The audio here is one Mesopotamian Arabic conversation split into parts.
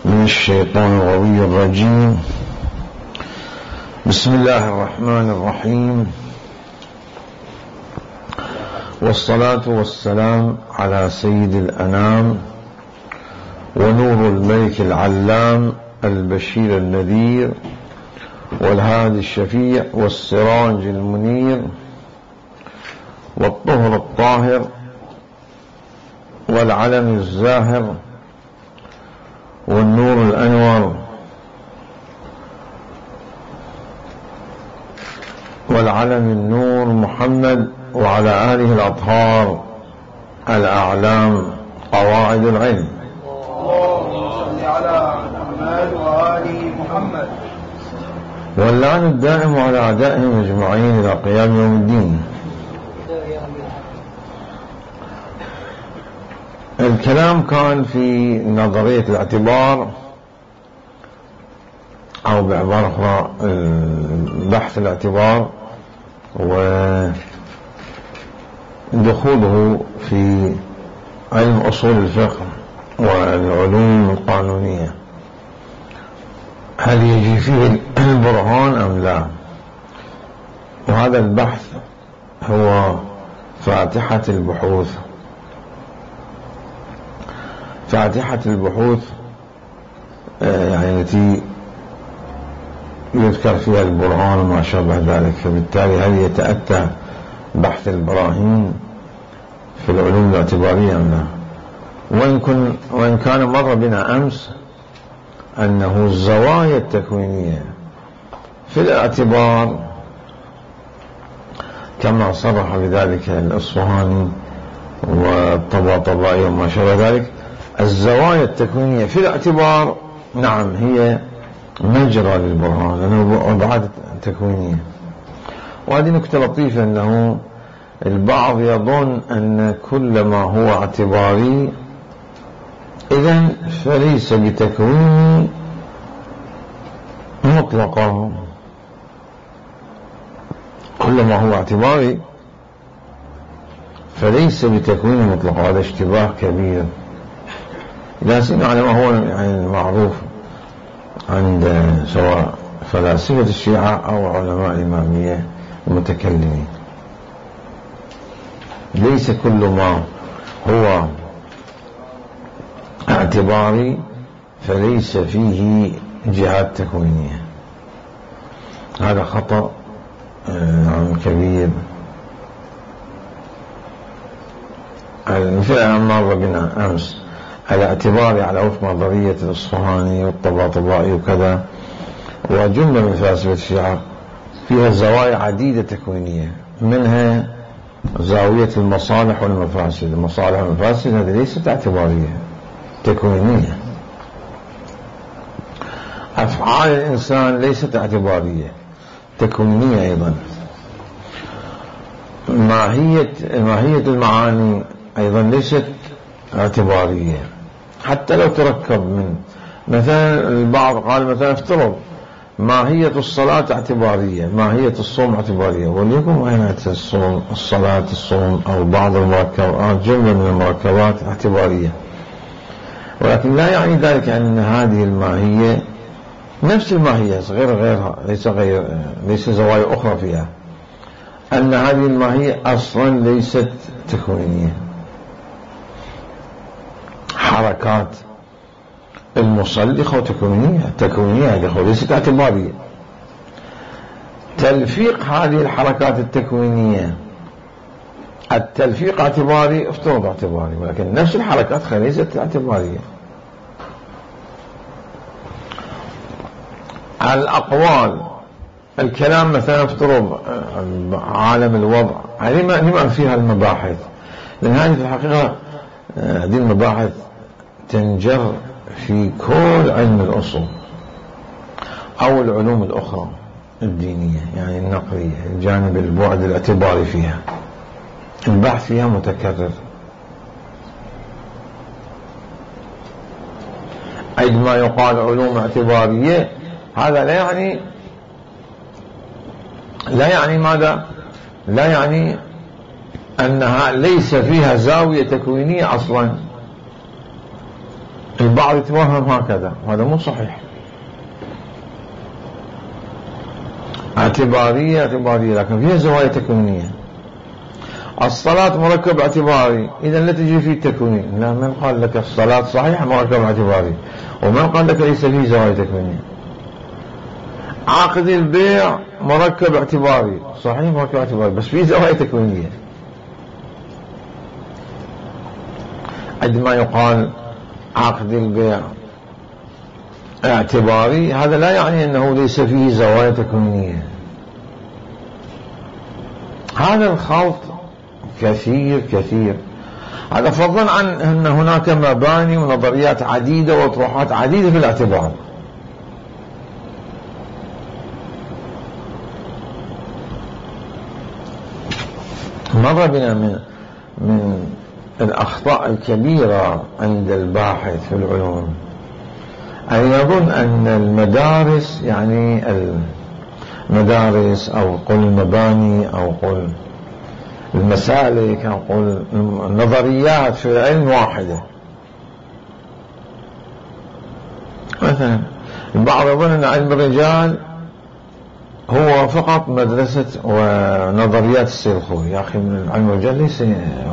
من الشيطان الغوي الرجيم. بسم الله الرحمن الرحيم، والصلاة والسلام على سيد الأنام ونور الملك العلام البشير النذير والهادي الشفيع والسراج المنير والطهر الطاهر والعلم الزاهر والنور الأنور والعلم النور محمد وعلى آله الأطهار الأعلام قواعد العلم. اللهم صل على محمد وآل محمد. واللعن الدائم على أعدائهم أجمعين إلى قيام يوم الدين. الكلام كان في نظرية الاعتبار، أو بعبارة أخرى بحث الاعتبار ودخوله في علم أصول الفقه والعلوم القانونية، هل يجي فيه البرهان أم لا؟ وهذا البحث هو فاتحة البحوث. فاتحة البحوث يعني التي يذكر فيها البرهان وما شابه ذلك، فبالتالي هل يتأتى بحث البراهين في العلوم الاعتبارية أم لا؟ وإن كان مر بنا أمس أنه الزوايا التكوينية في الاعتبار كما صرح بذلك الأصفهاني والطباطبائي وما شابه ذلك، الزوايا التكوينية في الاعتبار نعم هي مجرى للبرهان لأنه أبعاد تكوينية. وهذه نكتة لطيفة، أنه البعض يظن أن كل ما هو اعتباري إذن فليس بتكوين مطلقا. كل ما هو اعتباري فليس بتكوين مطلقا، هذا اشتباه كبير لا سيما على ما هو يعني المعروف عند سواء فلاسفة الشيعة أو علماء الإمامية المتكلمين. ليس كل ما هو اعتباري فليس فيه جهات تكوينية. هذا خطأ كبير. المثال مر بنا أمس الاعتبار على وفق نظرية الأصفهاني والطباطبائي وكذا، وجملة من فلاسفة الشيعة فيها زوايا عديدة تكوينية، منها زاوية المصالح والمفاسد. المصالح والمفاسد هذه ليست اعتبارية، تكوينية. أفعال الإنسان ليست اعتبارية، تكوينية أيضا. ماهية المعاني أيضا ليست اعتبارية، حتى لو تركب من مثلا البعض قال مثلا افترض ماهية الصلاة اعتبارية، ماهية الصوم اعتبارية، وليكن ماهية الصلاة الصوم أو بعض المركبات، جملة من المركبات اعتبارية، ولكن لا يعني ذلك أن هذه الماهية نفس الماهية غيرها، ليس زوايا أخرى فيها، أن هذه الماهية أصلا ليست تكوينية. حركات المصلخة تكوينية ليست اعتبارية. تلفيق هذه الحركات التكوينية، التلفيق اعتباري، افترض اعتباري، ولكن نفس الحركات ليست اعتبارية. الأقوال، الكلام مثلا افترض عالم الوضع، هذه ما فيها المباحث، لأن هذه في الحقيقة هذه المباحث تنجر في كل علم الأصول أو العلوم الأخرى الدينية، يعني النقلية، الجانب البعد الاعتباري فيها، البحث فيها متكرر. عندما يقال علوم اعتبارية هذا لا يعني ماذا؟ لا يعني أنها ليس فيها زاوية تكوينية أصلا، البعض يتوهم هكذا، وهذا مو صحيح. اعتبارية لكن فيها زوايا تكوينية. الصلاة مركب اعتباري، إذا لا تجي فيه تكويني. لا، من قال لك الصلاة صحيحة مركب اعتباري، ومن قال لك ليس فيه زوايا تكوينية. عقد البيع مركب اعتباري، صحيح مركب اعتباري، بس فيه زوايا تكوينية. عندما يقال عقد البيع اعتباري، هذا لا يعني أنه ليس فيه زوايا تكوينية. هذا الخلط كثير. هذا فضلا عن أن هناك مباني ونظريات عديدة وأطروحات عديدة في الاعتبار. مر بنا من الأخطاء الكبيرة عند الباحث في العلوم أن يظن أن المدارس، يعني المدارس أو قل المباني أو قل المسالك أو قل النظريات في العلم واحدة. مثلا البعض يظن أن علم الرجال هو فقط مدرسة ونظريات السيد الخوئي. يا أخي، من علم الرجال ليس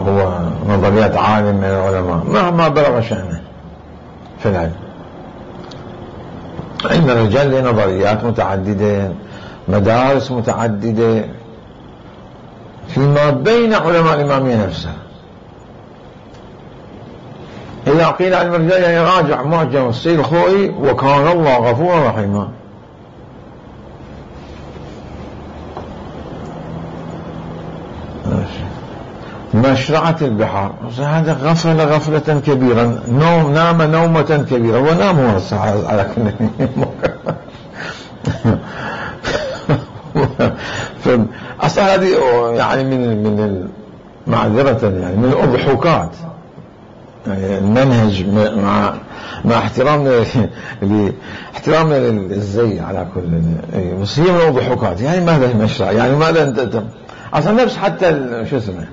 هو نظريات عالم من العلماء مهما بلغ شأنه في العلم. علم الرجال له نظريات متعددة، مدارس متعددة فيما بين علماء الإمامية نفسها. إذا قيل علم الرجال يعني راجع معجم السيد الخوئي وكان الله غفورا رحيما. مشرعة البحار، هذا غفلة كبيرة، نام نومة كبيرة، ونام هو على كل أصلا هذه يعني من معذرة يعني من الأضحوكات. يعني المنهج مع احترامنا للزي على كل، بس هي من الأضحوكات. يعني ماذا المشرع؟ يعني ماذا انت أصلا نفس حتى شو اسمه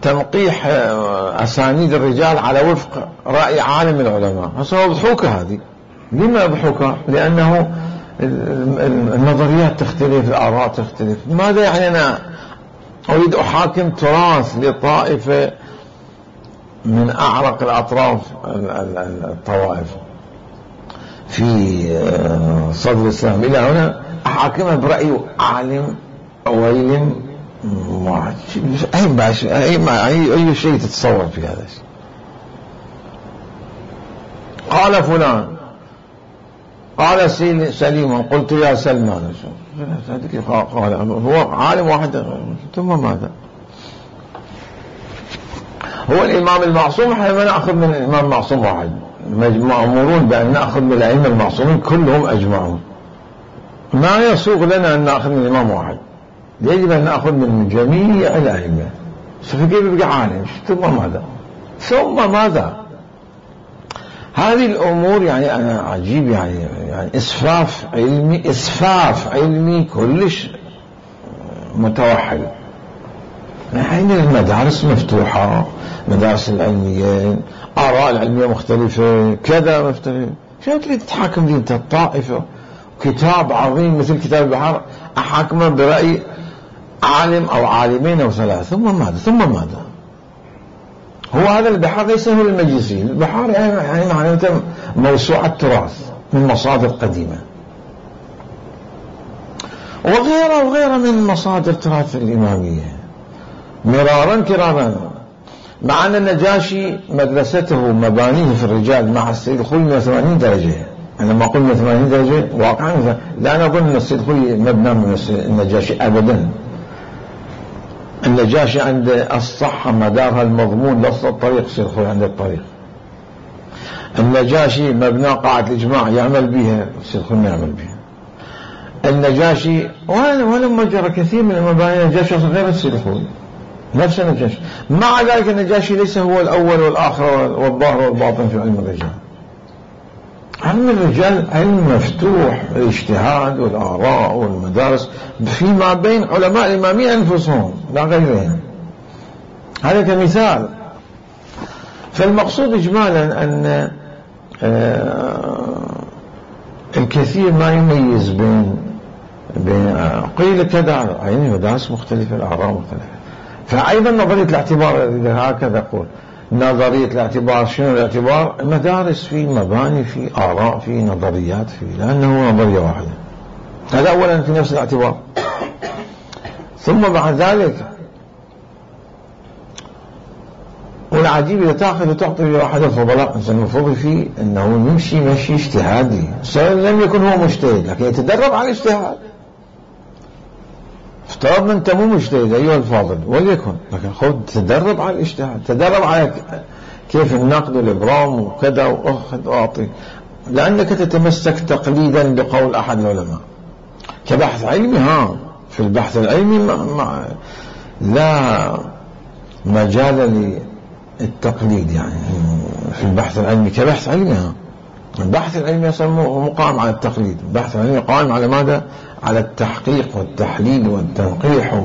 تنقيح أسانيد الرجال على وفق رأي عالم العلماء، هو ضحوكة. هذه لما ضحوكة؟ لأنه النظريات تختلف، الآراء تختلف. ماذا يعني أنا أريد أحاكم تراث لطائفة من أعرق الأطراف الطوائف في صدر الإسلام إلى هنا أحاكمها برأي عالم أويل؟ أي شيء تتصور في هذا الشيء. قال فلان، قال سليم، قلت يا سلمان، قال هو عالم واحد، ثم ماذا؟ هو الإمام المعصوم، احنا ما نأخذ من الإمام المعصوم واحد، مأمورون بأن نأخذ من الأئمة المعصومين كلهم أجمعون. ما يسوغ لنا أن نأخذ من الإمام واحد، يجب أن نأخذ من جميع الأئمة. فكيف يبقى عالم؟ ثم ماذا؟ هذه الأمور يعني أنا عجيب، يعني إسفاف علمي كلش متوحد. يعني المدارس مفتوحة، مدارس العلميين، آراء العلمية مختلفة، كذا مختلف. شو تريد تحاكم دي انت الطائفة؟ كتاب عظيم مثل كتاب البحار أحاكمه برأي عالم أو عالمين أو ثلاثة، ثم ماذا؟ هو هذا البحار ليس هو المجلسي. البحار يعني معناته موسوعة تراث من مصادر قديمة، وغيرها من مصادر تراث الإمامية مرارا كرارا. مع أن النجاشي مدرسته مبانيه في الرجال مع السيد الخوئي 180 درجة. أنا ما أقول 180 درجة واقعا، لا نظن أن السيد الخوئي مبنى من النجاشي أبدا. النجاشي عند الصحة مدارها المضمون لص الطريق، السيد الخوئي عند الطريق. النجاشي مبنى قاعة الإجماع يعمل بها، السيد الخوئي ما يعمل بها. النجاشي ولما جرى كثير من المباني النجاشي غير السيد الخوئي، نفس النجاشي. مع ذلك النجاشي ليس هو الأول والآخر والظاهر والباطن في علم الرجال. علم الرجال علم مفتوح، الاجتهاد والآراء والمدارس فيما بين علماء الإمامية أنفسهم لا غيرهم. هذا كمثال. فالمقصود إجمالا أن الكثير ما يميز بين قيل كذا، يعني مدارس مختلفة، الآراء مختلفة. فأيضا نظرية الاعتبار هكذا أقول، نظرية الاعتبار شنو الاعتبار؟ مدارس، في مباني، في آراء، في نظريات، في، لأنه نظرية واحدة. هذا أولا في نفس الاعتبار. ثم بعد ذلك والعجيب إذا تأخذ وتعطي لواحد الفضلاء المفروض فيه أنه يمشي مشي اجتهادي، لم يكن هو مجتهد لكن يتدرب على الاجتهاد. افترضنا أنت مو مجتهد أيها الفاضل وليكن، لكن خذ تدرب على الاجتهاد، تدرب على كيف النقد والإبرام وكذا، وأخذ وأعطي، لأنك تتمسك تقليدا بقول أحد العلماء كبحث علمي. في البحث العلمي لا مجال للتقليد، يعني في البحث العلمي كبحث علمي. البحث العلمي يسموه مقام على التقليد، البحث العلمي قائم على ماذا؟ على التحقيق والتحليل والتنقيح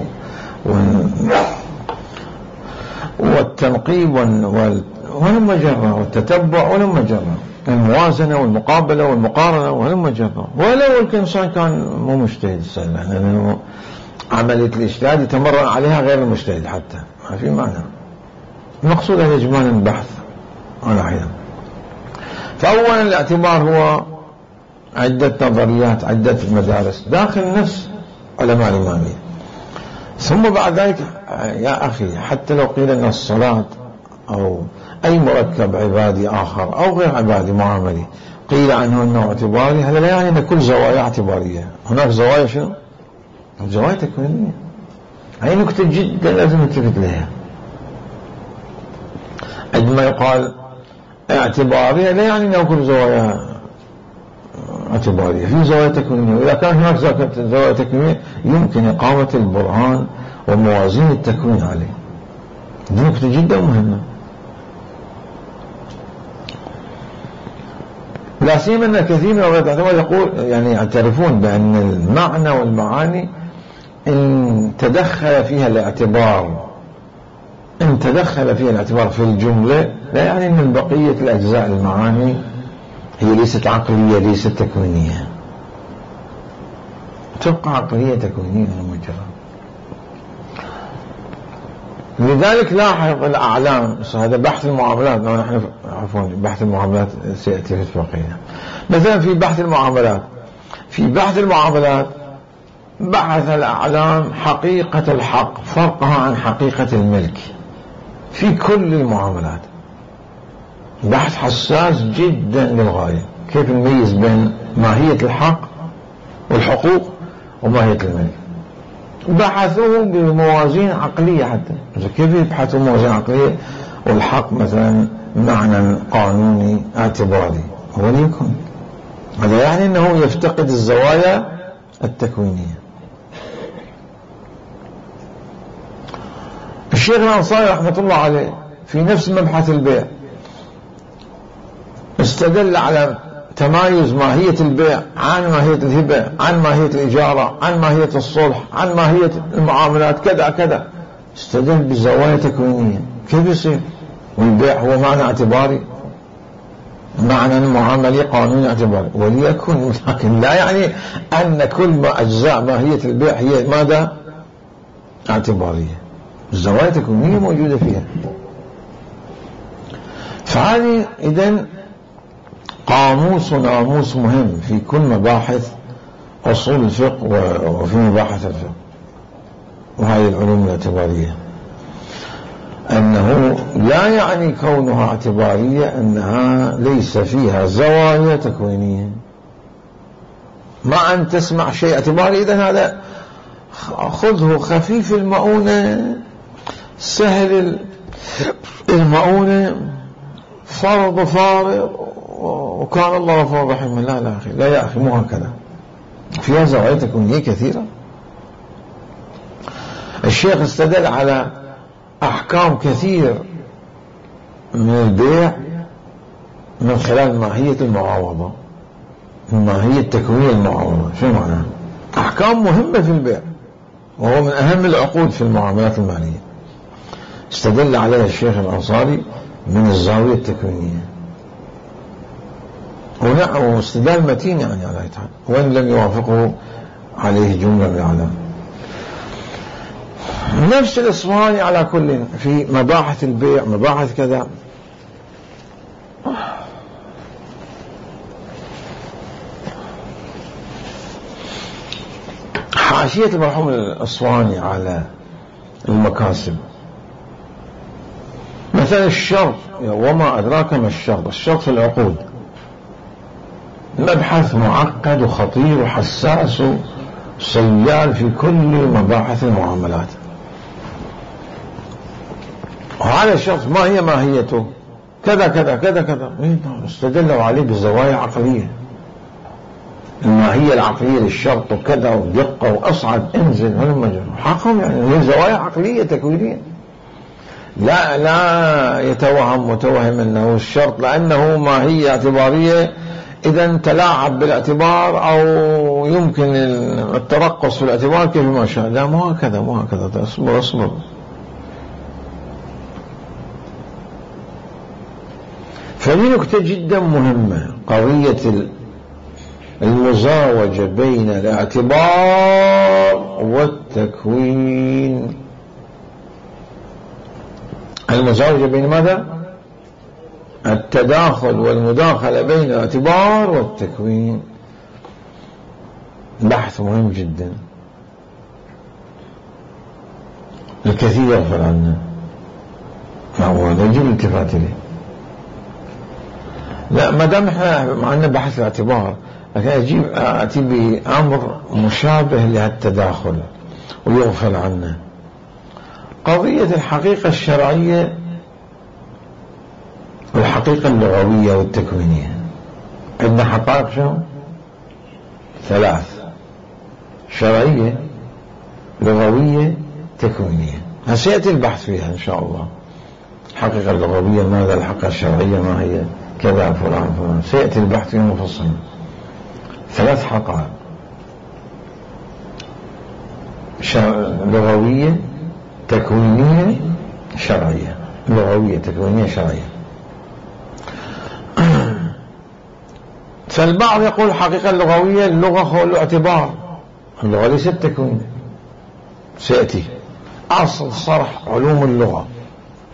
والتنقيب ولما جرى، والتتبع ولما جرى، الموازنة والمقابلة والمقارنة ولما جرى. ولو الإنسان كان مو مجتهد، لأنه عملية الاجتهاد يتمرن عليها غير المجتهد حتى ما في معنى. المقصود هذا إجمالا البحث على حين. فأولا الاعتبار هو عدة نظريات، عدة مدارس داخل نفس علماء الإمامية. ثم بعد ذلك يا أخي، حتى لو قيل أن الصلاة أو أي مركب عبادي آخر أو غير عبادي معاملي قيل عنه أنه اعتباري، هذا لا يعني أن كل زوايا اعتبارية. هناك زوايا شنو؟ زوايا تكوينية. هاي نكتة جدا لازم نلتفت لها. عندما يقال اعتبارية لا يعني أنه كل زوايا اعتبارية، في زوايا تكوينية. وإذا كان هناك زوايا تكوينية يمكن إقامة البرهان وموازين التكوين عليه. دي نكتة جدا مهمة، لا سيما أن كثير من العلماء يقول يعني يعترفون بأن المعنى والمعاني إن تدخل فيها الاعتبار، إن تدخل فيها الاعتبار في الجملة، لا يعني أن بقية الأجزاء المعاني هي ليست عقلية، ليست تكوينية، تبقى عقلية تكوينية مجرد. لذلك لاحظ الأعلام، هذا بحث المعاملات، نحن عفوا بحث المعاملات سيأتي في الفقهية. مثلا في بحث المعاملات بحث الأعلام حقيقة الحق، فرقها عن حقيقة الملك في كل المعاملات. بحث حساس جدا للغاية، كيف نميز بين ماهية الحق والحقوق وماهية الملك. بحثوه بموازين عقلية، حتى كيف يبحثوا موازين عقلية والحق مثلا معنى قانوني اعتباري، وليكن هذا يعني أنه يفتقد الزوايا التكوينية. الشيخ الأنصاري رحمة الله عليه في نفس مبحث البيع استدل على تمايز ماهية البيع عن ماهية الهبة، عن ماهية الإجارة، عن ماهية الصلح، عن ماهية المعاملات كذا كذا، استدل بزوايا تكوينية. كيف يصير؟ والبيع هو معنى اعتباري، معنى المعاملة قانوني اعتباري، وليكن، لكن لا يعني أن كل ما أجزاء ماهية البيع هي ماذا؟ اعتبارية. الزوايا التكوينية موجودة فيها. فهذه إذن قاموس وناموس مهم في كل مباحث أصول الفقه وفي مباحث الفقه وهذه العلوم الاعتبارية، أنه لا يعني كونها اعتبارية أنها ليس فيها زوايا تكوينية. ما أن تسمع شيء اعتباري إذن هذا خذه خفيف المؤونة، سهل المؤونة، فرض فارض، وكان الله غفور رحيم. لا أخي، لا يا أخي، مو هكذا، فيها زوايا تكوينية كثيرة. الشيخ استدل على أحكام كثير من البيع من خلال ماهية المعاوضة، ماهية تكوين المعاوضة. شو معناه؟ أحكام مهمة في البيع، وهو من أهم العقود في المعاملات المالية، استدل عليها الشيخ الأنصاري من الزاوية التكوينية. واستدلال متين يعني على يتحال وإن لم يوافقه عليه جملة من العلماء. نفس الإصفهاني على كل في مباحث البيع مباحث كذا. حاشية المرحوم الأصفهاني على المكاسب مثلا الشرط وما أدراك ما الشرط. الشرط في العقود مبحث معقد وخطير وحساس وصيال في كل مباحث المعاملات. وهذا الشرط ما هي ماهيته كذا كذا كذا كذا استدلوا عليه بزوايا عقلية. الماهية العقلية للشرط وكذا ودقة وأصعد انزل حقهم يعني هي زوايا عقلية تكوينية. لا يتوهم متوهم أنه الشرط لأنه ماهية اعتبارية إذا تلاعب بالاعتبار أو يمكن الترقص في الاعتبار كيف ما شاء. لا مو هكذا اصبر. فهذه نكتة جدا مهمة قضية المزاوجة بين الاعتبار والتكوين. المزاوجة بين ماذا؟ التداخل والمداخلة بين الاعتبار والتكوين. بحث مهم جدا الكثير يغفل عنه هذا يجب الالتفات إليه. لا ما دام احنا معنا بحث الاعتبار لكن أتي بأمر مشابه لهالتداخل ويغفل عنه. قضية الحقيقة الشرعية والحقيقة اللغوية والتكوينية. عندنا حقائق شو؟ 3: شرعية لغوية تكوينية. سيأتي البحث فيها إن شاء الله. الحقيقة اللغوية ماذا؟ الحقيقة الشرعية ما هي؟ كذا فلان سيأتي البحث فيها مفصلا. 3 حقائق لغوية تكوينية شرعية. لغوية تكوينية شرعية. فالبعض يقول الحقيقة اللغوية اللغة هو الاعتبار. اللغة ليست تكوين. سيأتي أصل صرح علوم اللغة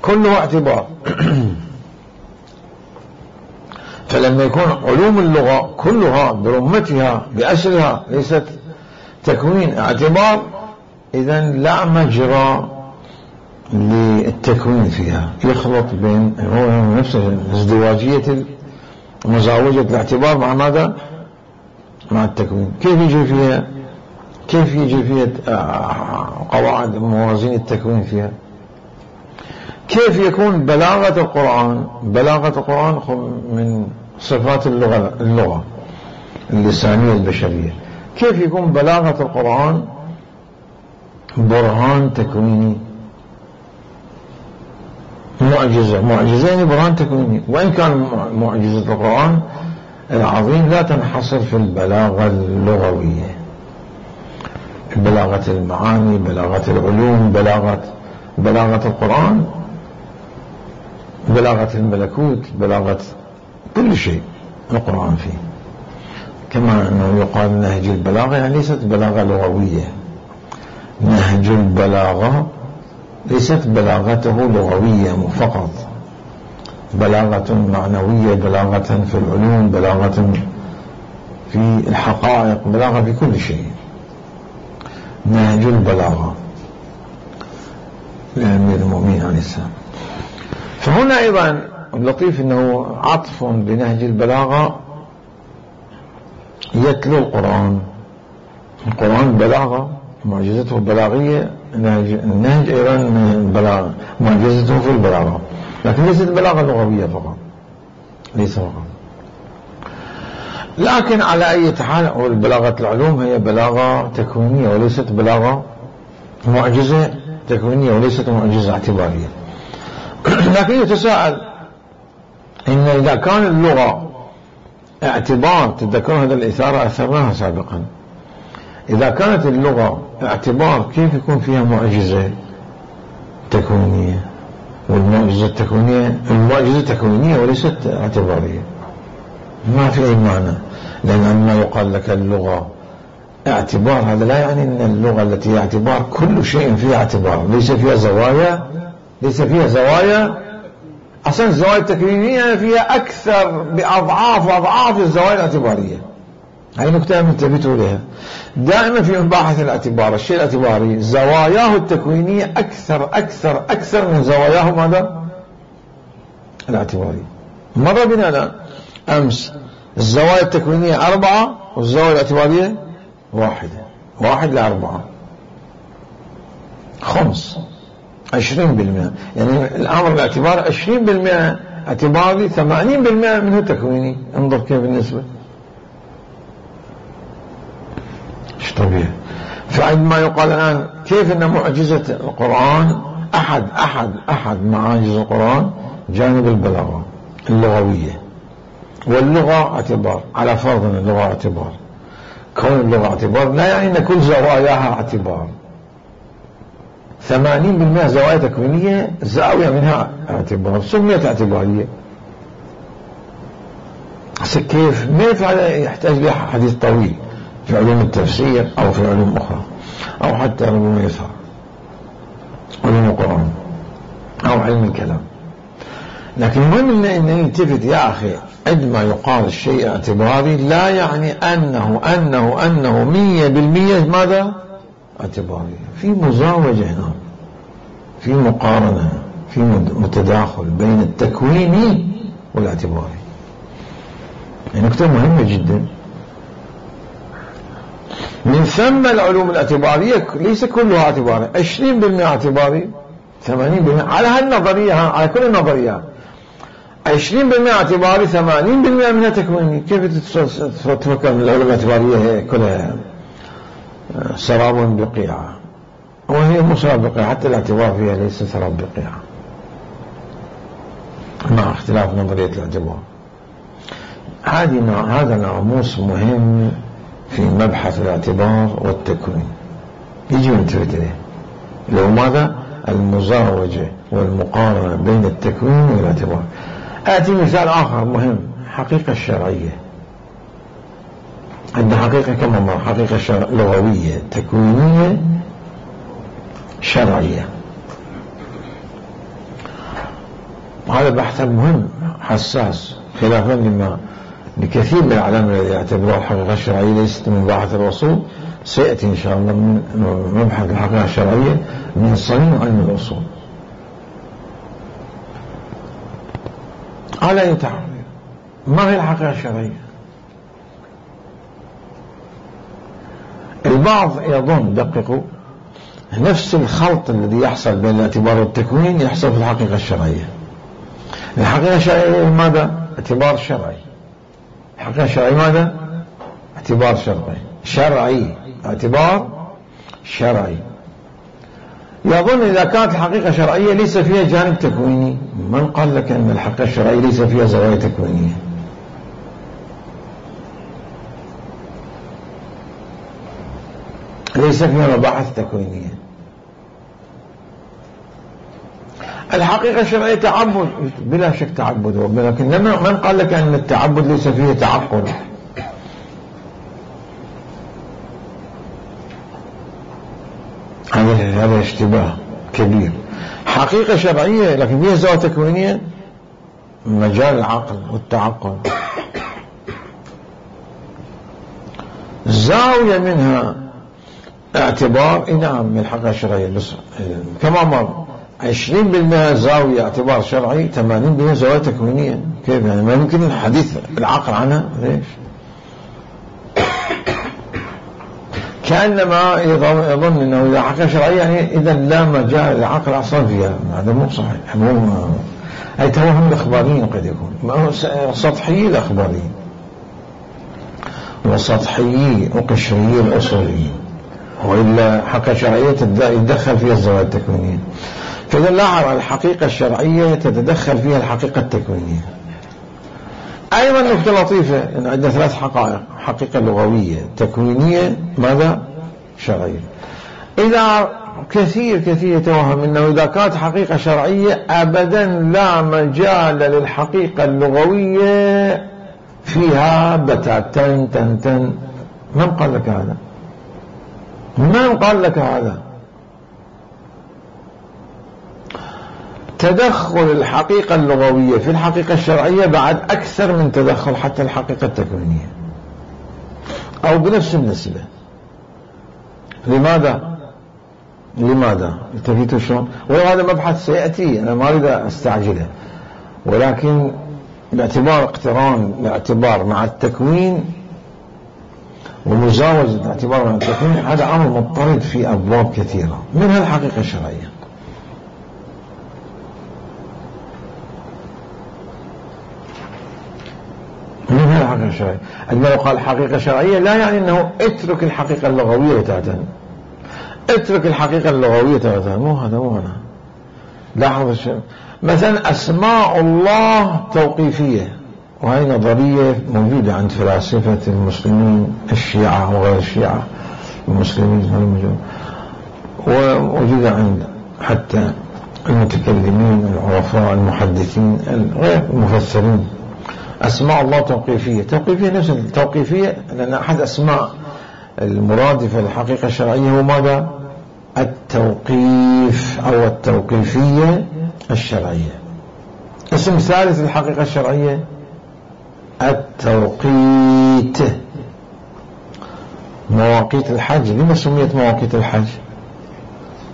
كله اعتبار. فلما يكون علوم اللغة كلها برمتها بأسرها ليست تكوين اعتبار إذن لا مجرى للتكوين فيها. يخلط بين هو نفسه ازدواجية مزاوجة الاعتبار مع ماذا؟ مع التكوين. كيف يجي فيها قواعد موازين التكوين فيها؟ كيف يكون بلاغة القرآن من صفات اللغة اللسانية البشرية. كيف يكون بلاغة القرآن برهان تكويني معجزة يعني برهان تكويني. وإن كان معجزة القرآن العظيم لا تنحصر في البلاغة اللغوية. بلاغة المعاني بلاغة العلوم بلاغة القرآن بلاغة الملكوت بلاغة كل شيء القرآن فيه. كما أنه يقال نهج البلاغة يعني ليست بلاغة لغوية. نهج البلاغة ليست بلاغته لغوية فقط. بلاغة معنوية بلاغة في العلوم بلاغة في الحقائق بلاغة في كل شيء. نهج البلاغة لأمير المؤمنين عليه السلام. فهنا أيضا اللطيف أنه عطف بنهج البلاغة يتلو القرآن بلاغة معجزته بلاغية. النهج أيضا من البلاغة معجزته في البلاغة لكن ليست بلاغة لغوية فقط ليس فقط. لكن على أي حال بلاغة العلوم هي بلاغة تكوينية وليست بلاغة معجزة تكوينية وليست معجزة اعتبارية. لكن يتساءل إن إذا كان اللغة اعتبار تذكر هذا الإثارة أثرناها سابقا. إذا كانت اللغة اعتبار كيف يكون فيها معجزة تكوينية؟ والمعجزة التكوينية المعجزة تكوينية وليست اعتبارية. ما في أي معنى. لأن عندما يقال لك اللغة اعتبار، هذا لا يعني أن اللغة التي هي اعتبار كل شيء فيها اعتبار، ليس فيها زوايا. أصلا الزوايا التكوينية فيها أكثر بأضعاف الزوايا الاعتبارية. هاي نكتة انتبهتوا لها. دائما في مباحث الاعتبار، الشيء الاعتباري زواياه التكوينية أكثر من زواياه ماذا؟ الاعتباري. مر بنا الآن أمس الزوايا التكوينية 4 والزوايا الاعتبارية 1 ل4 5 20%. يعني الأمر الاعتباري 20% اعتباري، 80% منه تكويني. انظر كيف النسبة، ايش طبيعي. فعندما يقال الآن كيف أن معجزة القرآن أحد معاجز القرآن جانب البلاغة اللغوية، واللغة اعتبار، على فرض أن اللغة اعتبار. كون اللغة اعتبار لا يعني أن كل زواياها اعتبار. 80% زوايا تكوينية، زاوية منها اعتبار، سميت اعتبارية. كيف؟ كيف هذا يحتاج له حديث طويل في علوم التفسير أو في علوم أخرى، أو حتى علوم اليسار، علوم القرآن أو علم الكلام. لكن المهم أن نلتفت يا أخي، عندما يقال الشيء اعتباري لا يعني أنه 100% ماذا؟ اعتباري. في مزاوجة هنا، في مقارنة، في متداخل بين التكويني والاعتباري. يعني نقطة مهمة جدا. من ثم العلوم الاعتبارية ليس كلها اعتباري، 20% اعتباري، 80% على هالنظرية، على كل النظريات 20% اعتباري، 80% منها تكويني. كيف تفكر ان العلوم الاعتبارية هي كلها سراب بقيعة؟ وهي مو سراب بقيعة، حتى الاعتبار فيها ليس سراب بقيعة، مع اختلاف نظرية الاعتبار. هذا ناموس مهم في مبحث الاعتبار والتكوين، يجي نلتفت إليه، لو ماذا؟ المزاوجة والمقارنة بين التكوين والاعتبار. آتي مثال آخر مهم، حقيقة الشرعية. عندنا حقيقة كما مر، حقيقة لغوية، تكوينية، شرعية. وهذا بحث مهم حساس، خلافا لكثير من العلماء الذين يعتبرون الحقيقة الشرعية ليست من مباحث الأصول. سيأتي إن شاء الله من مبحث الحقيقة الشرعية من صميم علم الأصول. على يتعرف ما هي الحقيقة الشرعية؟ البعض يظن، دققوا، نفس الخلط الذي يحصل بين الاعتبار والتكوين يحصل في الحقيقة الشرعية. الحقيقة الشرعية ماذا؟ اعتبار شرعي. الحقيقة الشرعية ماذا؟ اعتبار شرعي، اعتبار شرعي. يظن إذا كانت الحقيقة شرعية ليس فيها جانب تكويني. من قال لك أن الحقيقة الشرعية ليس فيها زوايا تكوينية؟ ليس فيها مباحث تكوينية. الحقيقة الشرعية تعبد، بلا شك تعبد، ولكن من قال لك أن التعبد ليس فيه تعقل؟ هذا اشتباه كبير. حقيقة شرعية لكن فيها زوايا تكوينية، مجال العقل والتعقل. زاوية منها اعتبار، نعم، من الحقيقة الشرعية، بس كما مر 20% زاوية اعتبار شرعي، 80% زاوية تكوينية. كيف يعني؟ ما يمكن الحديث العقل عنها. ليش؟ كأنما يظن أنه إذا حقيقة شرعية يعني إذا لا مجال العقل أصلا فيها. هذا مو صحيح، أي توهم الأخباريين قد يكون، سطحيي الأخباريين وسطحيي وقشريي الأصوليين، وإلا حقيقة شرعية يتدخل فيها الزوايا التكوينية. فإذا لاحظ الحقيقة الشرعية تتدخل فيها الحقيقة التكوينية. أيضا نقطة لطيفة أن عندنا 3 حقائق: حقيقة لغوية، تكوينية، ماذا؟ شرعية. إذا كثير يتوهم أنه إذا كانت حقيقة شرعية أبدا لا مجال للحقيقة اللغوية فيها بتاتين تنتن. من قال لك هذا؟ من قال لك هذا؟ تدخل الحقيقة اللغوية في الحقيقة الشرعية بعد أكثر من تدخل حتى الحقيقة التكوينية، أو بنفس النسبة. لماذا؟ التفيتوا شلون؟ وهذا مبحث سيأتي، أنا ما أريد أستعجله، ولكن باعتبار اقتران الاعتبار مع التكوين ومزاوجة الاعتبار مع التكوين، هذا أمر مضطرد في أبواب كثيرة منها الحقيقة الشرعية. منها الحقيقة الشرعية. عندما يقال الحقيقة الشرعية لا يعني أنه اترك الحقيقة اللغوية تعتن، اترك الحقيقة اللغوية تعتن، مو هذا. لاحظ الشيء، مثلا أسماء الله توقيفية، وهي نظرية موجودة عند فلاسفة المسلمين الشيعة وغير الشيعة المسلمين، ووجودة عند حتى المتكلمين العرفاء المحدثين غير المفسرين. أسماء الله توقيفية نفس التوقيفية، لأن أحد أسماء المرادفة للحقيقة الشرعية هو ماذا؟ التوقيف أو التوقيفية الشرعية. اسم ثالث للحقيقة الشرعية التوقيت. مواقيت الحج، لما سميت مواقيت الحج؟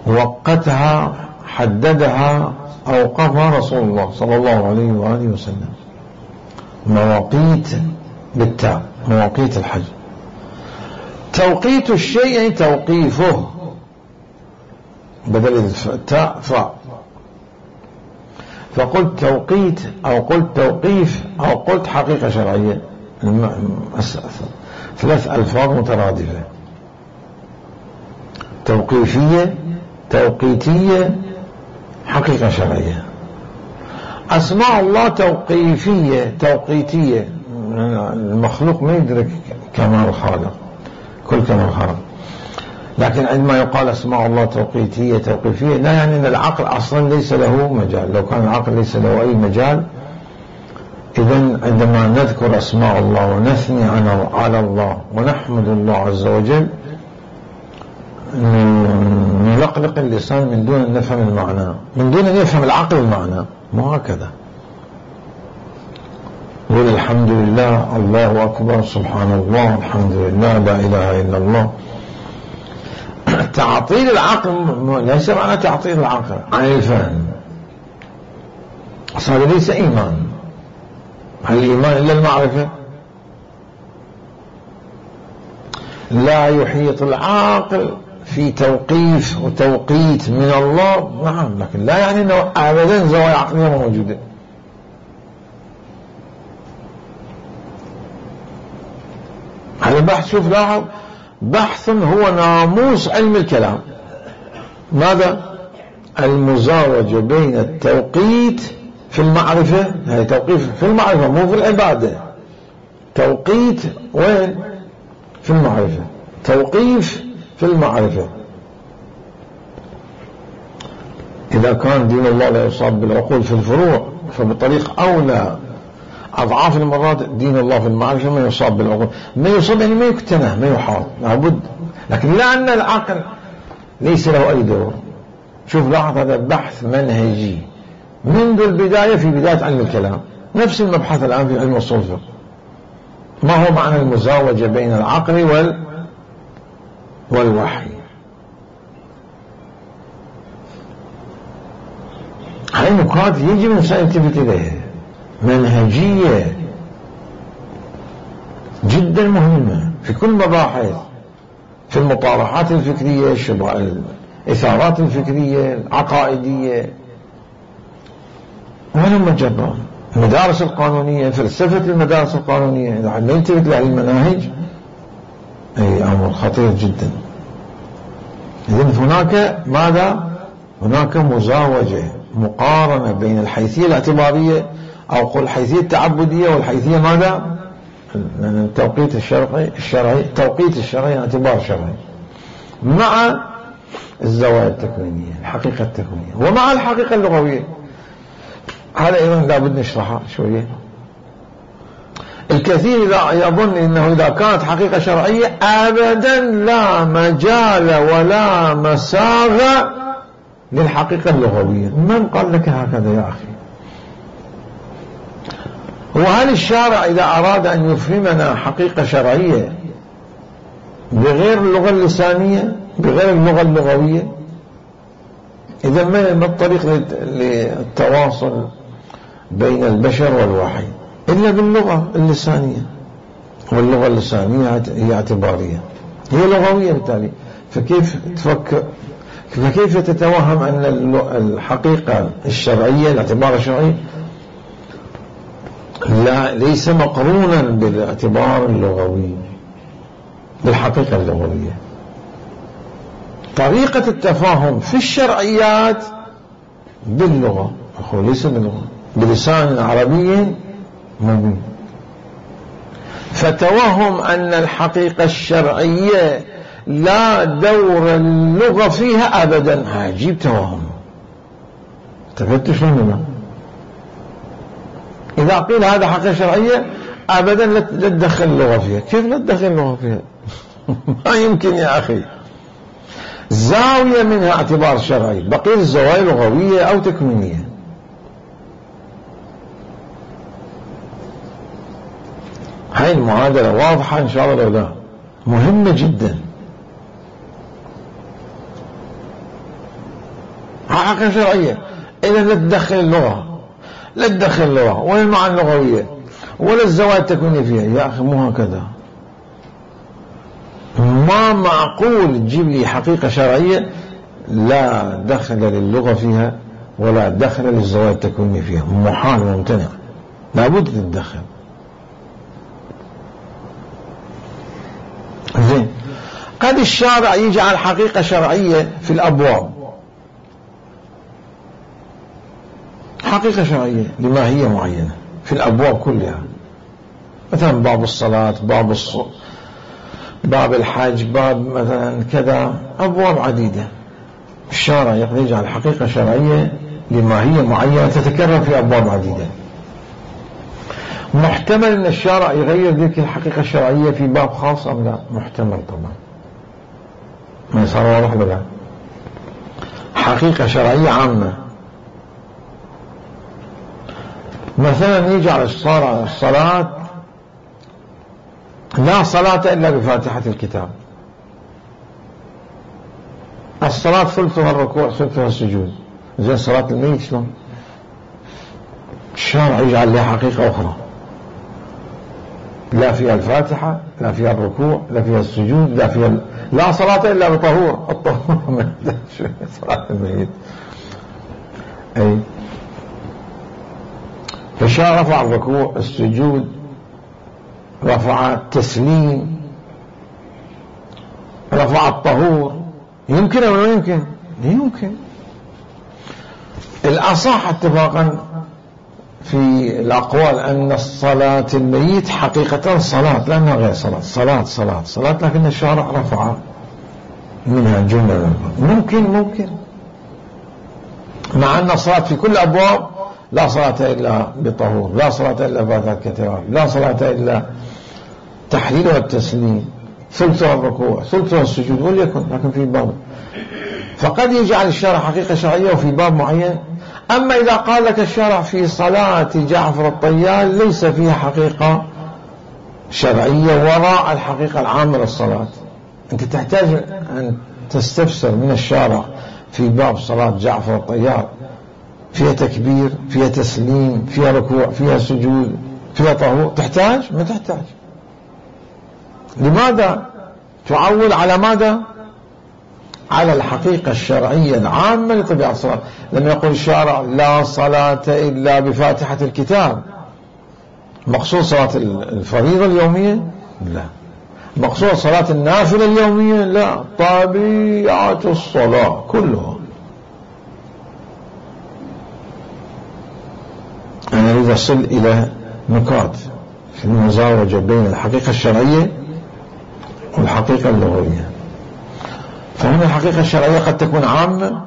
وقتها، حددها، أوقفها رسول الله صلى الله عليه وآله وسلم. مواقيت بالتاء، مواقيت الحج. توقيت الشيء يعني توقيفه، بدل التاء فاء. فقلت توقيت أو قلت توقيف أو قلت حقيقة شرعية، ثلاث ألفاظ مترادفة: توقيفية، توقيتية، حقيقة شرعية. أسماء الله توقيفية توقيتية، المخلوق ما يدرك كمال الخالق، كل كمال الخالق. لكن عندما يقال أسماء الله توقيتية توقيفية لا يعني أن العقل أصلا ليس له مجال. لو كان العقل ليس له أي مجال، إذن عندما نذكر أسماء الله ونثني على الله ونحمد الله عز وجل نلقلق اللسان من دون أن نفهم المعنى، من دون أن يفهم العقل المعنى، مو هكذا. قول الحمد لله، الله أكبر، سبحان الله، الحمد لله، لا إله إلا الله. تعطيل العقل ليس معنى تعطيل العقل عن الفهم، هذا ليس إيمان. هل الإيمان إلا المعرفة؟ لا يحيط العاقل في توقيف وتوقيت من الله، نعم، لكن لا يعني أنه أبدا زوايا عقلية موجودة. هذا بحث، شوف لاحظ، بحث هو ناموس علم الكلام. ماذا؟ المزاوجة بين التوقيت في المعرفة، هي توقيف في المعرفة مو في العبادة. توقيت وين؟ في المعرفة، توقيف في المعرفة. إذا كان دين الله لا يصاب بالعقول في الفروع، فبطريق أولى أضعاف المرات دين الله في المعرفة ما يصاب بالعقول. ما يصاب يعني ما يكتنى، ما يحاط، لابد. لكن لا أن العقل ليس له أي دور. شوف لاحظ، هذا بحث منهجي منذ البداية، في بداية علم الكلام. نفس المبحث الآن في علم أصول الفقه. ما هو معنى المزاوجة بين العقل والوحي؟ هاي نقاط يجب الإنسان يلتفت إليها، منهجية جدا مهمة في كل مباحث، في المطارحات الفكرية، الإثارات الفكرية العقائدية، ولا مجرد المدارس القانونية، فلسفة المدارس القانونية. إذا ما يلتفت لها المناهج، أي أمر خطير جدا. إذن هناك ماذا؟ هناك مزاوجة، مقارنة بين الحيثية الاعتبارية أو قل الحيثية التعبدية والحيثية ماذا؟ التوقيت الشرعي، توقيت الشرعي اعتبار شرعي، مع الزوايا التكوينية، الحقيقة التكوينية، ومع الحقيقة اللغوية. هذا أيضا لابد نشرحها شوية. الكثير يظن أنه إذا كانت حقيقة شرعية أبدا لا مجال ولا مساغ للحقيقة اللغوية. من قال لك هكذا يا أخي؟ وهل الشارع إذا أراد أن يفهمنا حقيقة شرعية بغير اللغة اللسانية بغير اللغة اللغوية، إذا ما الطريق للتواصل بين البشر والوحي إلا باللغة اللسانية؟ واللغة اللسانية هي اعتبارية، هي لغوية بالتالي. فكيف تفكر، فكيف تتوهم أن الحقيقة الشرعية الاعتبار الشرعي لا ليس مقرونا بالاعتبار اللغوي بالحقيقة اللغوية؟ طريقة التفاهم في الشرعيات باللغة، ليس باللغة، بلسان عربي مبين. فتوهم أن الحقيقة الشرعية لا دور اللغة فيها أبدا، عجيب توهم. تفتش مننا إذا قيل هذا حقيقة شرعية أبدا لا تدخل اللغة فيها. كيف لا تدخل اللغة فيها؟ ما يمكن يا أخي. زاوية منها اعتبار شرعي، بقية الزوايا لغوية أو تكوينية. هاي المعادلة واضحة إن شاء الله، لا مهمة جدا. حقيقة شرعية إذا لا تدخل اللغة، لا تدخل اللغة ولا المعاني اللغوية ولا الزوايا التكوينية فيها. يا أخي مو هكذا، ما معقول تجيب لي حقيقة شرعية لا دخل للغة فيها ولا دخل للزوايا التكوينية فيها، محال ممتنع، لابد تتدخل. زين، قد الشارع يجعل حقيقة شرعية في الأبواب، حقيقة شرعية لماهية معينة في الأبواب كلها، مثلا باب الصلاة، باب الحج، باب مثلا كذا، أبواب عديدة. الشارع يجعل حقيقة شرعية لماهية معينة تتكرر في أبواب عديدة. محتمل أن الشارع يغير ذلك الحقيقة الشرعية في باب خاص أم لا؟ محتمل طبعا، ما يصير واضح ولا؟ حقيقة شرعية عامة، مثلا يجعل الصلاة لا صلاة إلا بفاتحة الكتاب، الصلاة ثلثها الركوع ثلثها السجود. زين صلاة الميت شلون؟ الشارع يجعل لها حقيقة أخرى، لا فيها الفاتحة، لا فيها الركوع، لا فيها السجود، لا صلاة إلا بطهور. الطهور ما صلاة الميت. أي فالشارع رفع الركوع، السجود، رفع التسليم، رفع الطهور. يمكن أو لا يمكن؟ يمكن. الأصح اتفاقا في الأقوال أن الصلاة الميت حقيقة صلاة، لأنها غير صلاة، لكن الشارع رفع منها جملة. ممكن مع أن الصلاة في كل أبواب لا صلاة إلا بطهور، لا صلاة إلا بفاتحة الكتاب، لا صلاة إلا تحليل والتسليم، ثلثها الركوع ثلثها السجود، وليكن. لكن في باب، فقد يجعل الشارع حقيقة شرعية وفي باب معين. أما إذا قال لك الشارع في صلاة جعفر الطيال ليس فيها حقيقة شرعية وراء الحقيقة العامة للصلاة، أنت تحتاج أن تستفسر من الشارع في باب صلاة جعفر الطيال فيها تكبير، فيها تسليم، فيها ركوع، فيها سجود، فيها طهور. تحتاج؟ ما تحتاج. لماذا تعول على ماذا؟ على الحقيقة الشرعية العامة لطبيعة الصلاة. لما يقول الشارع لا صلاة إلا بفاتحة الكتاب، مقصود صلاة الفريضة اليومية؟ لا. مقصود صلاة النافلة اليومية؟ لا. طبيعة الصلاة كلها. أنا أريد أصل إلى نقاط في المزاوجة بين الحقيقة الشرعية والحقيقة اللغوية. فهنا الحقيقة الشرعية قد تكون عامة،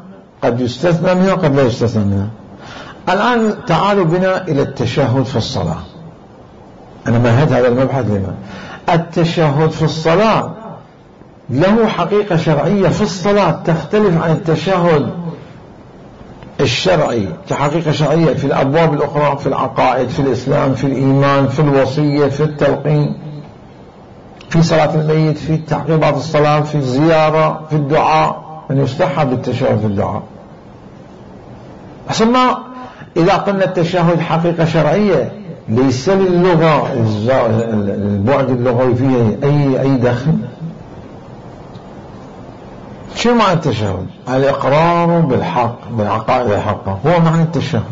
قد يستثنى منها وقد لا يستثنى منها. الآن تعالوا بنا إلى التشهد في الصلاة. أنا مهدت هذا المبحث لما التشهد في الصلاة له حقيقة شرعية في الصلاة تختلف عن التشهد الشرعي كحقيقة شرعية في الأبواب الأخرى، في العقائد، في الإسلام، في الإيمان، في الوصية، في التلقين، في صلاة الميت، في تعقيبات الصلاة، في الزيارة، في الدعاء، من يستحب التشهد في الدعاء. ثم إذا قلنا التشهد حقيقة شرعية ليس للغة البعد اللغوي فيه أي دخل. شو معنى التشهد؟ الإقرار بالحق، بالعقائد الحقة، هو معنى التشهد.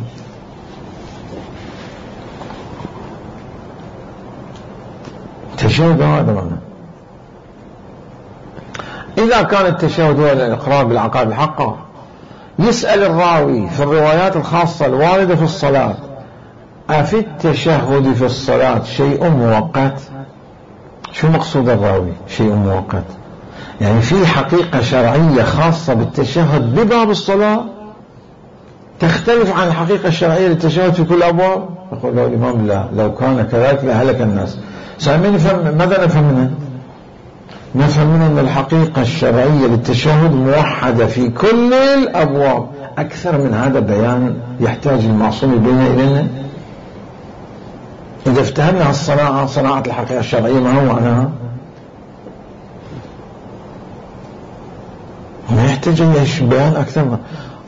التشهد هذا معنى. إذا كان التشهد هو الإقرار بالعقائد الحقة، يسأل الراوي في الروايات الخاصة الواردة في الصلاة: أفي التشهد في الصلاة شيء مؤقت؟ شو مقصود الراوي شيء مؤقت؟ يعني في حقيقة شرعية خاصة بالتشهد بباب الصلاة تختلف عن الحقيقة الشرعية للتشهد في كل أبواب؟ يقول له الإمام: لا، لو كان كذلك لهلك الناس. ماذا نفهم منه؟ نفهم منه أن الحقيقة الشرعية للتشهد موحدة في كل الأبواب. أكثر من هذا بيان يحتاج المعصوم بيننا إلينا. إذا افتهمنا الصناعة، صناعة الحقيقة الشرعية، ما هو معناها؟ ما يحتاج بيان أكثر.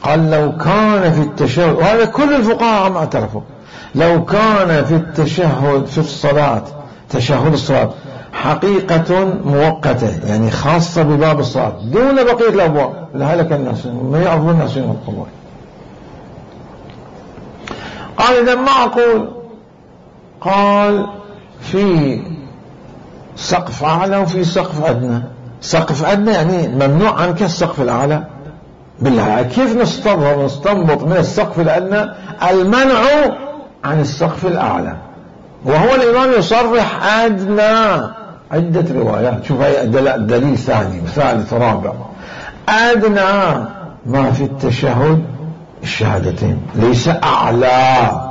قال: لو كان في التشهد، وهذا كل الفقهاء ما اعترفوا، لو كان في التشهد في الصلاة، تشهد الصلاة، حقيقة مؤقتة يعني خاصة بباب الصلاة دون بقية الأبواب، لهلك الناس، ما يعرفون الناس يوم القبور. قال: إذا ما أقول. قال: في سقف أعلى وفي سقف أدنى. سقف أدنى يعني ممنوع عنك السقف الأعلى. بالله كيف نستنبط من السقف الأدنى المنع عن السقف الأعلى؟ وهو الإمام يصرح أدنى. عدة روايات، شوف هي دليل ثاني وثالث ورابع. أدنى ما في التشهد الشهادتين، ليس أعلى.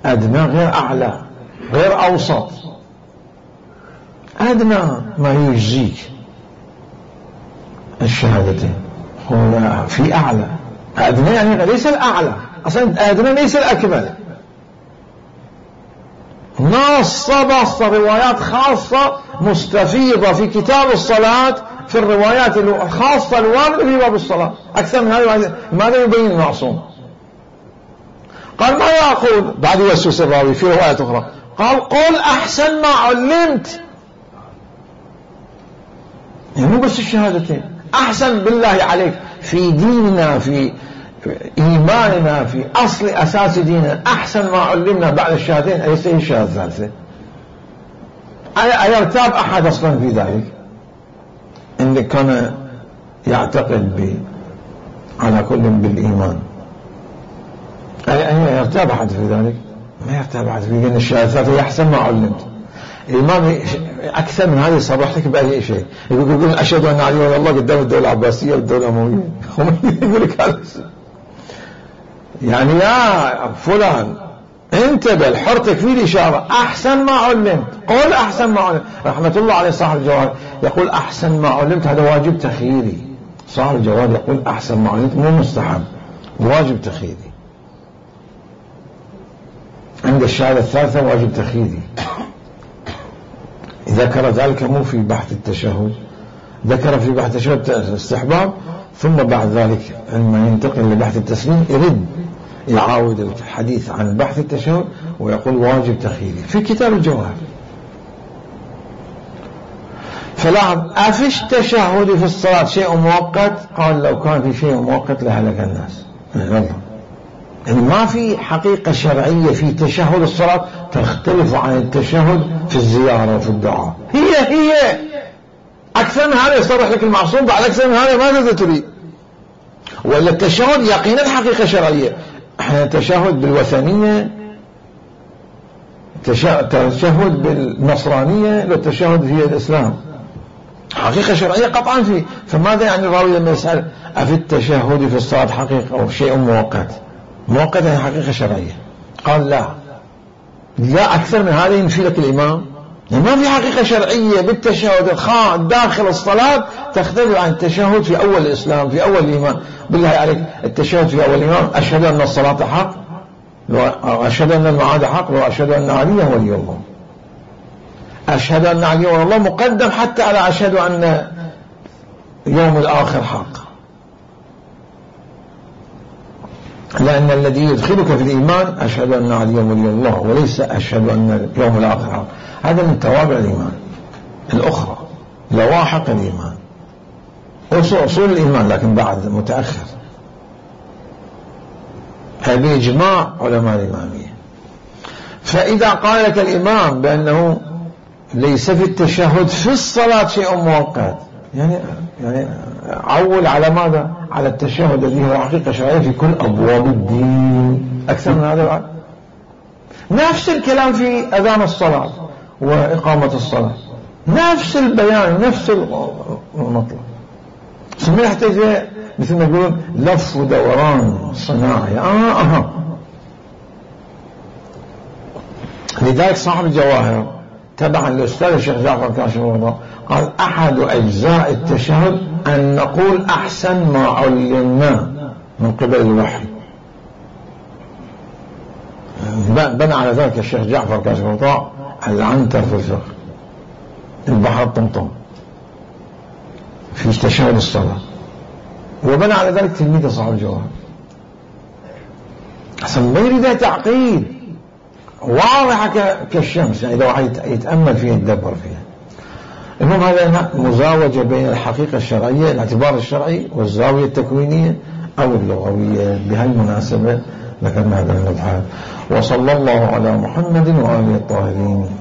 أدنى غير أعلى، غير أوسط. أدنى ما يجزيك الشهادتين، هو في أعلى. أدنى يعني ليس الأعلى، أصلا أدنى ليس الأكمل. نص روايات خاصة مستفيضة في كتاب الصلاة في الروايات الخاصة الواردة في باب الصلاة أكثر من هذا. ماذا يبين المعصوم؟ قال: ما يقول بعد يوسوس الراوي في رواية أخرى، قال: قل أحسن ما علمت. يعني مو بس الشهادتين، أحسن بالله عليك في ديننا، في إيماننا، في أصل أساس ديننا، أحسن ما علمنا بعد الشهادتين أليس هي الشهادة الثالثة؟ أيرتاب أحد أصلا في ذلك؟ إن كان يعتقد على كل بالإيمان، يرتاب أحد في ذلك؟ ما يرتاب أحد في ذلك. الشهادة الثالثة أحسن ما علمت. الإمام أكثر من هذا يصرح لك بأي شيء، يقول: أشهد أن علي ولي الله قدام الدولة العباسية والدولة الأموية. يقول لك هذا يعني يا فلان انتبه لحرتك في الإشارة. أحسن ما علمت، قل أحسن ما علمت. رحمة الله عليه صاحب الجواب يقول: أحسن ما علمت هذا واجب تخييري. صاحب الجواب يقول: أحسن ما علمت مو مستحب، واجب تخييري. عند الشهادة الثالثة واجب تخييري. ذكر ذلك مو في بحث التشهد، ذكر في بحث التشهد استحباب، ثم بعد ذلك عندما ينتقل لبحث التسليم يرد يعاود الحديث عن بحث التشهد ويقول واجب تخييري في كتاب الجواهر. فلاحظ: أفي التشهد في الصلاة شيء مؤقت؟ قال: لو كان في شيء مؤقت لهلك الناس. يعني ما في حقيقة شرعية في تشهد الصلاة تختلف عن التشهد في الزيارة وفي الدعاء. هي أكثر من هذا يصرح لك المعصوم، بعد أكثر من هذا ماذا تريد؟ ولا التشهد يقينا حقيقة شرعية. التشهد بالوثنية، التشهد بالنصرانية، والتشهد في الإسلام حقيقة شرعية قطعا فيه. فماذا يعني الراوي لما يسأل: أفي التشهد في الصلاة حقيقة أو شيء مؤقت؟ مؤقت يعني حقيقة شرعية. قال: لا، لا أكثر من هذا ينفي لك الإمام. ما في حقيقة شرعية بالتشهد داخل الصلاة تختلف عن التشهد في أول الإسلام، في أول الإيمان. بالله عليك التشهد في أول الإيمان: أشهد أن الصلاة حق، أشهد أن المعاد حق، وأشهد أن عليا ولي الله. أشهد أن عليا ولي الله مقدم حتى على أشهد أن يوم الآخر حق، لأن الذي يدخلك في الإيمان أشهد أن عليا ولي الله، وليس أشهد أن يوم الآخر حق. هذا من توابع الإيمان الأخرى، لواحق الإيمان، أصول الإيمان، لكن بعد متأخر. هذا إجماع علماء الإمامية. فإذا قال لك الإمام بأنه ليس في التشهد في الصلاة شيء مؤقت، يعني عول على ماذا؟ على التشهد الذي هو حقيقة شرعية في كل أبواب الدين. أكثر من هذا بعد. نفس الكلام في أذان الصلاة وإقامة الصلاة، نفس البيان، نفس المطلب. ثم يحتاج مثل ما يقولون لف ودوران صناعي. لذلك صاحب الجواهر تبعا للأستاذ الشيخ جعفر كاشف الغطاء قال: أحد أجزاء التشهد أن نقول أحسن ما علمنا من قبل الوحي. بنى على ذلك الشيخ جعفر كاشف الغطاء العنتر في الفقه، البحر الطمطم في تشهد الصلاة، وبنى على ذلك تلميذ صاحب الجواهر. أصلا ما يريد تعقيد، واضحة كالشمس، يعني إذا واحد يتأمل فيها يتدبر فيها. المهم هذا مزاوجة بين الحقيقة الشرعية، الاعتبار الشرعي، والزاوية التكوينية أو اللغوية. بهالمناسبة ذكرنا هذا المبحث. وصلى الله على محمد وآله الطاهرين.